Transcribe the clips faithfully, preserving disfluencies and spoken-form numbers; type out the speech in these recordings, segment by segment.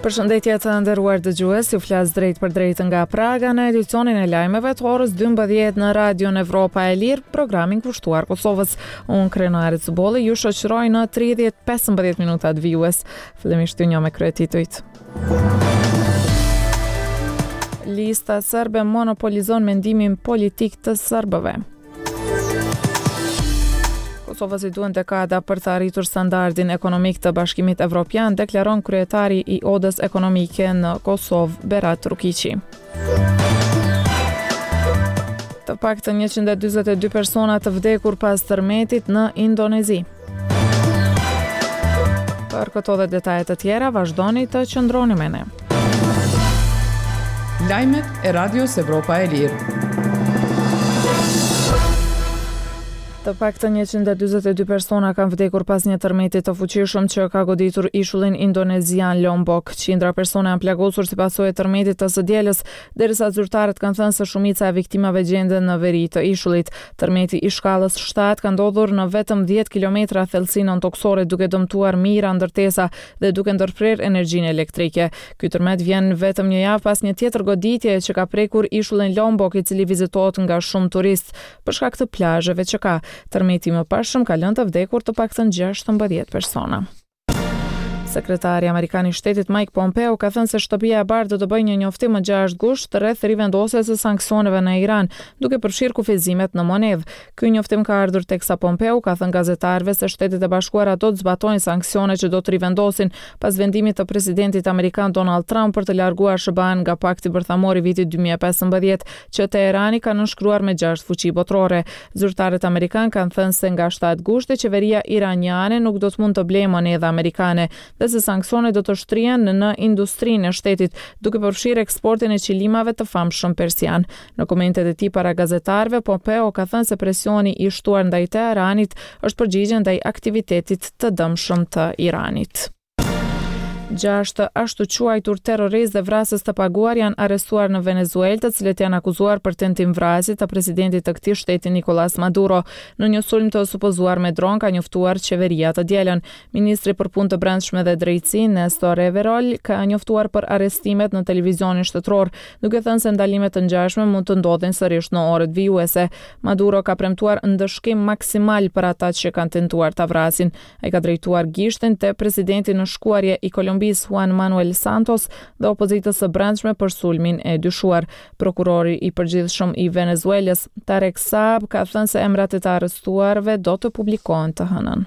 Përshëndetje të nderuar dëgjues, ju flas drejt për drejt nga Praga në edicionin e lajmeve të orës dymbëdhjetë në Radion Evropa e Lirë, programin kushtuar Kosovës. Unë Krenare Cubolli ju shoqëroj në tridhjetë pesëmbëdhjetë minutat vijues. Fillimisht ju njoh me kryetitujt. Lista serbe monopolizon mendimin politik të serbëve. Kosovës i duhen dekada për të arritur standardin ekonomik të Bashkimit Evropian, deklaron kryetari i Odës Ekonomike në Kosovë, Berat Rukiqi. Të paktën njëqind e dyzet e dy persona të vdekur pas tërmetit në Indonezi. Për këto dhe detaje të tjera, vazhdoni të qëndroni me ne. Lajmet e Radios Evropa e Lirë. Të paktën njëqind e dyzet e dy persona kanë vdekur pas një tërmeti të fuqishëm që ka goditur ishullin indonezian Lombok. Qindra persona janë plagosur si pasojë e tërmetit të së dielës, derisa zyrtarët kanë thënë se shumica e viktimave gjenden në veri të ishullit. Tërmeti i shkallës shtatë ka ndodhur në vetëm dhjetë kilometra thellësi nëntokësore, duke dëmtuar mijëra ndërtesa dhe duke ndërprerë energjinë elektrike. Ky tërmet vjen vetëm një javë pas një tjetër goditje që ka prekur ishullin Lombok, i cili vizitohet nga shumë turistë për shkak të plazheve që ka. Tërmeti i mëparshëm ka lënë të vdekur të paktën gjashtëmbëdhjetë persona. Sekretari amerikan i shtetit Mike Pompeo ka thënë se Shtëpia e Bardhë do të bëjë një njoftim më gjashtë gusht rreth rivendosjes së sanksioneve në Iran, duke përfshirë kufizimet në monedhë. Ky njoftim ka ardhur teksa Pompeo ka thënë gazetarëve se Shtetet e Bashkuara do të zbatojnë sanksione që do të rivendosin pas vendimit të presidentit amerikan Donald Trump për të larguar S H B A-n nga pakti bërthamor i vitit dy mijë e pesëmbëdhjetë që Teherani ka nënshkruar me gjashtë fuqi botërore. Zyrtarët amerikan kanë thënë se nga shtatë gushti qeveria iraniane nuk do të mund të blejë monedha amerikane dhe se sanksionet do të shtrihen në industrinë e shtetit, duke përfshirë eksportin e qilimave të famshëm persian. Në komentet e tij para gazetarëve, Pompeo ka thënë se presioni i shtuar ndaj Teheranit është përgjigje ndaj aktivitetit të dëmshëm të Iranit. Gjashtë ashtu quajtur terroristë dhe vrasës të paguar janë arrestuar në Venezuelë, të cilët janë akuzuar për tentim vrasje të presidentit të këtij shteti Nicolas Maduro. Në një sulm të supozuar me dron ka njoftuar qeveria të dielën. Ministri për punë të brendshme dhe drejtësi Nestor Reverol ka njoftuar për arrestimet në televizionin shtetëror, duke thënë se ndalime të ngjashme mund të ndodhin sërish në orët vijuese. Maduro ka premtuar ndëshkim maksimal për ata që kanë tentuar ta vrasin. Ai ka drejtuar gishtin te presidenti në shkuarje i Kolumbisë Juan Manuel Santos dhe opozitës së brendshme për sulmin e dyshuar. Prokurori i përgjithshëm i Venezuelës, Tarek Saab, ka thënë se emrat e të arrestuarve do të publikohen të hënën.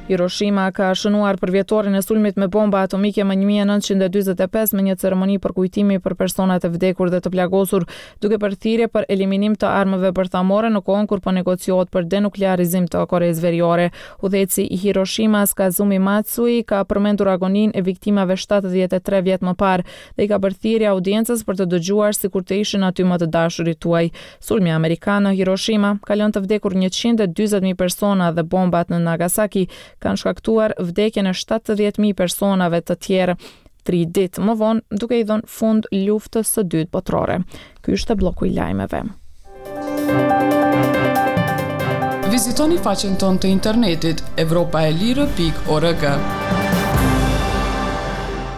Hiroshima ka shënuar përvjetorin e sulmit me bomba atomike më një mijë e nëntëqind e dyzet e pesë me një ceremoni përkujtimi për personat e vdekur dhe të plagosur, duke bërë thirrje për eliminim të armëve bërthamore në kohën kur po negociohet për denuklearizim të Koresë Veriore. Udhëheqësi i Hiroshimas, Kazumi Matsui, ka përmendur agoninë e viktimave shtatëdhjetë e tre vjet më parë dhe i ka bërë thirrje audiencës për të dëgjuar sikur të ishin aty më të dashurit tuaj. Sulmi amerikan në Hiroshima ka lënë të vdekur njëqind e dyzet mijë persona dhe bombat në Nagasaki kanë shkaktuar vdekjen e shtatëdhjetë mijë personave të tjerë tri ditë më vonë, duke i dhënë fund luftës së dytë botërore. Ky ishte bloku i lajmeve. Vizitoni faqen tonë të internetit evropa e lirë pikë org.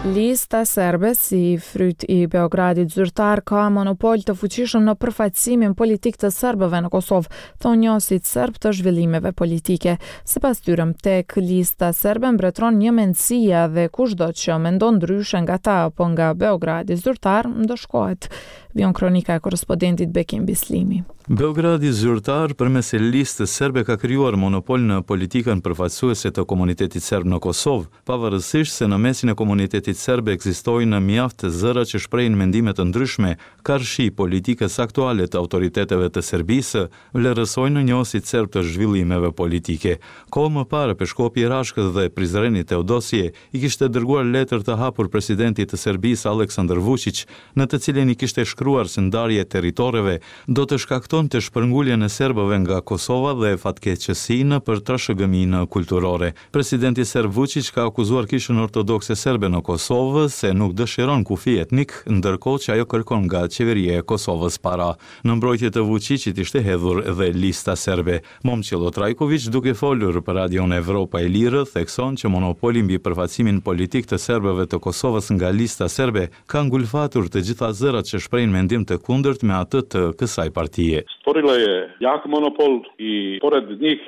Lista serbe, si fryt i Beogradit zyrtar, ka monopol të fuqishëm në përfaqësimin politik të serbëve në Kosovë, thonë njohësit serb të zhvillimeve politike. Sipas tyre, tek lista serbe mbretëron një mendësia dhe kushdo që mendon ndryshe nga ta apo nga Beogradi zyrtar ndëshkohet. Vion kronika e korrespondentit Bekim Bislimi. Beogradi zyrtar përmes listës serbe ka krijuar monopol në politikën përfaqësuese të komunitetit serb në Kosovë, pavarësisht se në mesin e komunitetit serb ekzistojnë mjaft zëra që shprehin mendime të ndryshme karshi politikës aktuale të autoriteteve të Serbisë, vlerësojnë njohësit serb të zhvillimeve politike. Kohë më parë, Peshkopi i Rashkës dhe Prizrenit Teodosije i kishte dërguar letër të hapur presidentit të Serbisë Aleksandar Vučić, në të cilin i kishte shkruar se ndarja e territoreve do të shkaktonte shpërnguljen e serbëve nga Kosova dhe fatkeqësinë për trashëgiminë kulturore. Presidenti serb Vučić ka akuzuar kishën ortodokse serbe në Kosovë Kosovë se nuk dëshiron kufi etnik, ndërkohë që ajo kërkon nga qeveria e Kosovës para. Në mbrojtje të Vučićit ishte hedhur edhe Lista Serbe. Momçilo Trajković, duke folur për Radion Evropa e Lirë, thekson që monopoli mbi përfaqësimin politik të serbëve të Kosovës nga Lista Serbe ka ngulfatur të gjitha zërat që shprehin mendim të kundërt me atë të kësaj partie. Stvorila je jak monopol i pored njih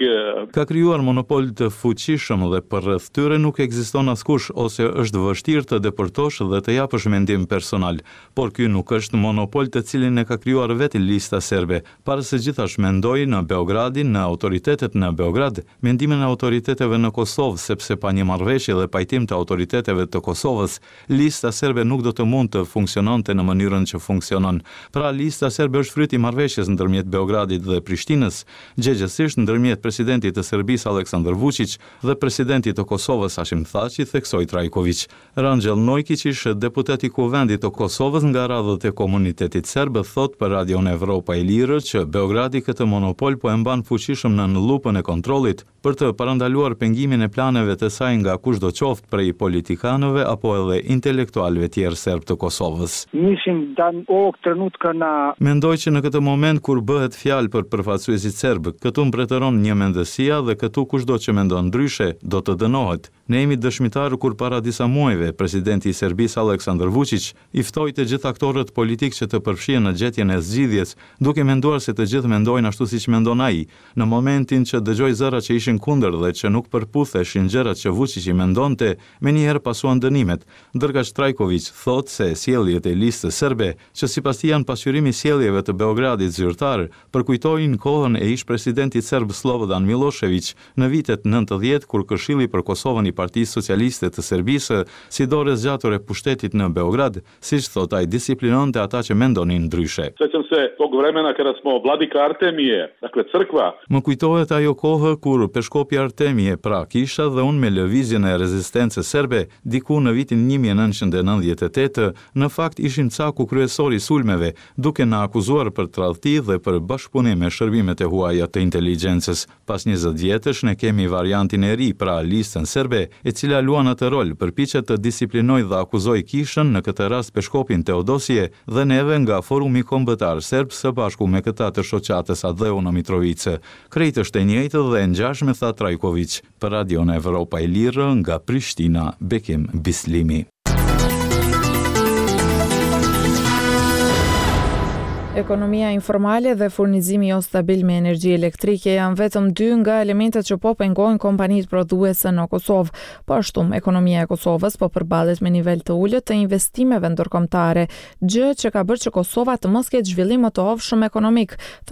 Ka krijuar monopol të fuqishëm dhe përreth tyre nuk ekziston askush ose është vështirë të depërtosh dhe të japësh mendim personal. Por ky nuk është monopol të cilin e ka krijuar vetë Lista Serbe. Para së gjithash mendoj në Beogradin, në autoritetet në Beograd, mendimin e autoriteteve në Kosovë, sepse pa një marrëveshje dhe pajtim të autoriteteve të Kosovës, Lista Serbe nuk do të mund të funksiononte në mënyrën që funksionon. Pra, Lista Serbe është fryt i marrëveshjes ndërmjet Beogradit dhe Prishtinës, gjegjësisht ndërmjet presidentit të Serbisë Aleksandar Vučić dhe presidentit të Kosovës Hashim Thaçi, theksoi Trajković. Rangjel Nojkić, ish deputet i Kuvendit të Kosovës nga radhët e komunitetit serb, thot për Radion Evropa e Lirë që Beogradi këtë monopol po e mban fuqishëm nën lupën e kontrollit për të parandaluar pengimin e planeve të saj nga kushdo qoftë prej politikanëve apo edhe intelektualëve tjerë serb të Kosovës. Mislim da ovog trenutka na Mendoj që në këtë moment kur bëhet fjalë për përfaqësuesit serb, këtu mbretëron një mendësia dhe këtu kushdo që mendon ndryshe do të dënohet. Ne jemi dëshmitar kur para disa muajve presidenti i Serbisë Aleksandar Vučić i ftoi të gjithë aktorët politikë që të përfshihen në gjetjen e zgjidhjes, duke menduar se të gjithë mendojnë ashtu siç mendon ai. Në momentin që dëgjoi zëra që ishin kundër dhe që nuk përputheshin gjërat që Vučić i mendonte, menjëherë pasuan dënimet. Ndërkaq Trajković thotë se sjelljet e listës serbe, që sipas tij janë pasqyrim i sjelljeve të Beogradit zyrtar, përkujtojnë kohën e ish presidentit serb Slobodan Milošević në vitet nëntëdhjetë kur Këshilli për Kosovën i Partisë Socialiste të Serbisë, si dorë e zgjatur e pushtetit në Beograd, siç thot ai, disiplinonte ata që mendonin ndryshe. Sećam se tog vremena kada smo vladika Artemije, dakle crkva, Më kujtohet ajo kohë kur peshkopi Artemije, pra kisha dhe unë me lëvizjen e rezistencës serbe, diku në vitin një mijë e nëntëqind e nëntëdhjetë e tetë, në fakt ishim caku kryesor i sulmeve, duke na akuzuar për tradhti dhe për bashkëpunim me shërbimet e huaja të inteligjencës. Pas njëzet vjetësh ne kemi variantin e ri, pra listën serbe, e cila luan atë rol, përpiqet të disiplinojë dhe akuzojë kishën, në këtë rast peshkopin Teodosije, dhe neve nga Forumi Kombëtar Serb së bashku me këta të shoqatës Atdheu në Mitrovicë. Krejt është e njëjtë dhe e ngjashme, tha Trajković. Për Radion Evropa e Lirë nga Prishtina, Bekim Bislimi. Ekonomia informale dhe furnizimi jo stabil me energji elektrike janë vetëm dy nga elementet që po pengojnë kompanitë prodhuese në Kosovë. Po ashtu, ekonomia e Kosovës po përballet me nivel të ulët të investimeve ndërkombëtare, gjë që ka bërë që Kosova të mos ketë zhvillim më të hovshëm ekonomik.